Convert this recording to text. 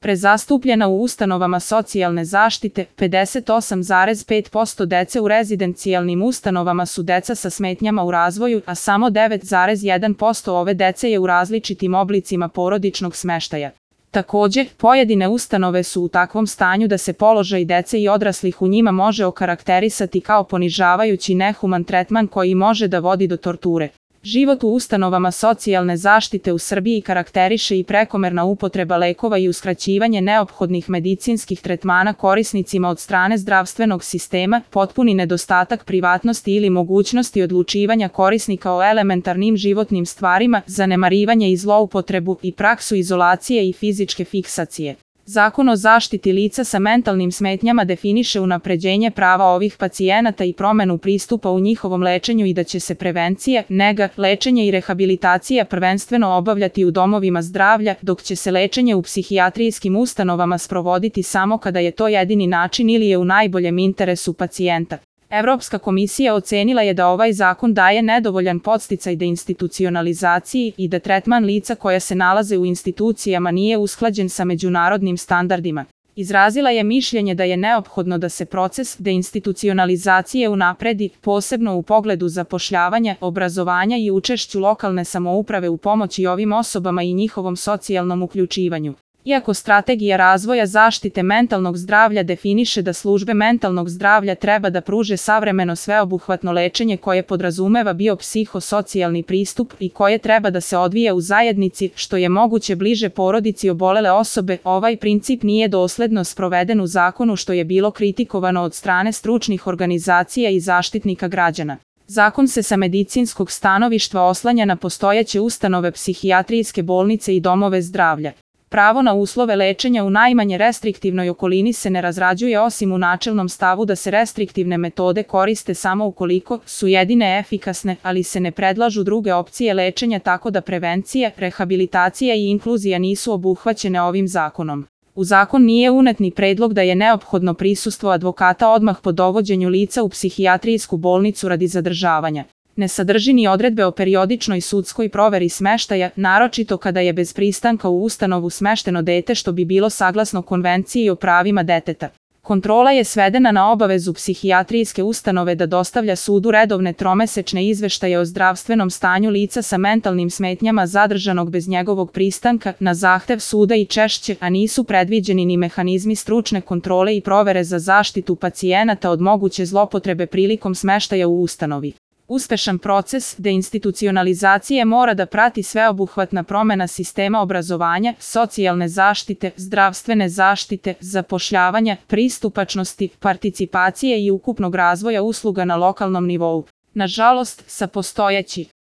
prezastupljena u ustanovama socijalne zaštite, 58,5% dece u rezidencijalnim ustanovama su deca sa smetnjama u razvoju, a samo 9,1% ove dece je u različitim oblicima porodičnog smeštaja. Takođe, pojedine ustanove su u takvom stanju da se položaj dece i odraslih u njima može okarakterisati kao ponižavajući nehuman tretman koji može da vodi do torture. Život u ustanovama socijalne zaštite u Srbiji karakteriše i prekomerna upotreba lekova i uskraćivanje neophodnih medicinskih tretmana korisnicima od strane zdravstvenog sistema, potpuni nedostatak privatnosti ili mogućnosti odlučivanja korisnika o elementarnim životnim stvarima, zanemarivanje i zloupotrebu i praksu izolacije i fizičke fiksacije. Zakon o zaštiti lica sa mentalnim smetnjama definiše unapređenje prava ovih pacijenata i promenu pristupa u njihovom lečenju i da će se prevencija, nega, lečenje i rehabilitacija prvenstveno obavljati u domovima zdravlja, dok će se lečenje u psihijatrijskim ustanovama sprovoditi samo kada je to jedini način ili je u najboljem interesu pacijenta. Evropska komisija ocenila je da ovaj zakon daje nedovoljan podsticaj deinstitucionalizaciji i da tretman lica koja se nalaze u institucijama nije usklađen sa međunarodnim standardima. Izrazila je mišljenje da je neophodno da se proces deinstitucionalizacije unapredi, posebno u pogledu zapošljavanja, obrazovanja i učešću lokalne samouprave u pomoći ovim osobama i njihovom socijalnom uključivanju. Iako Strategija razvoja zaštite mentalnog zdravlja definiše da službe mentalnog zdravlja treba da pruže savremeno sveobuhvatno lečenje koje podrazumeva biopsihosocijalni pristup i koje treba da se odvija u zajednici, što je moguće bliže porodici obolele osobe, ovaj princip nije dosledno sproveden u zakonu, što je bilo kritikovano od strane stručnih organizacija i zaštitnika građana. Zakon se sa medicinskog stanovišta oslanja na postojeće ustanove psihijatrijske bolnice i domove zdravlja. Pravo na uslove lečenja u najmanje restriktivnoj okolini se ne razrađuje osim u načelnom stavu da se restriktivne metode koriste samo ukoliko su jedine efikasne, ali se ne predlažu druge opcije lečenja, tako da prevencija, rehabilitacija i inkluzija nisu obuhvaćene ovim zakonom. U zakon nije unet ni predlog da je neophodno prisustvo advokata odmah po dovođenju lica u psihijatrijsku bolnicu radi zadržavanja. Ne sadrži ni odredbe o periodičnoj sudskoj proveri smeštaja, naročito kada je bez pristanka u ustanovu smešteno dete, što bi bilo saglasno Konvenciji o pravima deteta. Kontrola je svedena na obavezu psihijatrijske ustanove da dostavlja sudu redovne tromesečne izveštaje o zdravstvenom stanju lica sa mentalnim smetnjama zadržanog bez njegovog pristanka, na zahtev suda i češće, a nisu predviđeni ni mehanizmi stručne kontrole i provere za zaštitu pacijenata od moguće zlopotrebe prilikom smeštaja u ustanovi. Uspešan proces deinstitucionalizacije mora da prati sveobuhvatna promena sistema obrazovanja, socijalne zaštite, zdravstvene zaštite, zapošljavanja, pristupačnosti, participacije i ukupnog razvoja usluga na lokalnom nivou. Nažalost, sa postojeći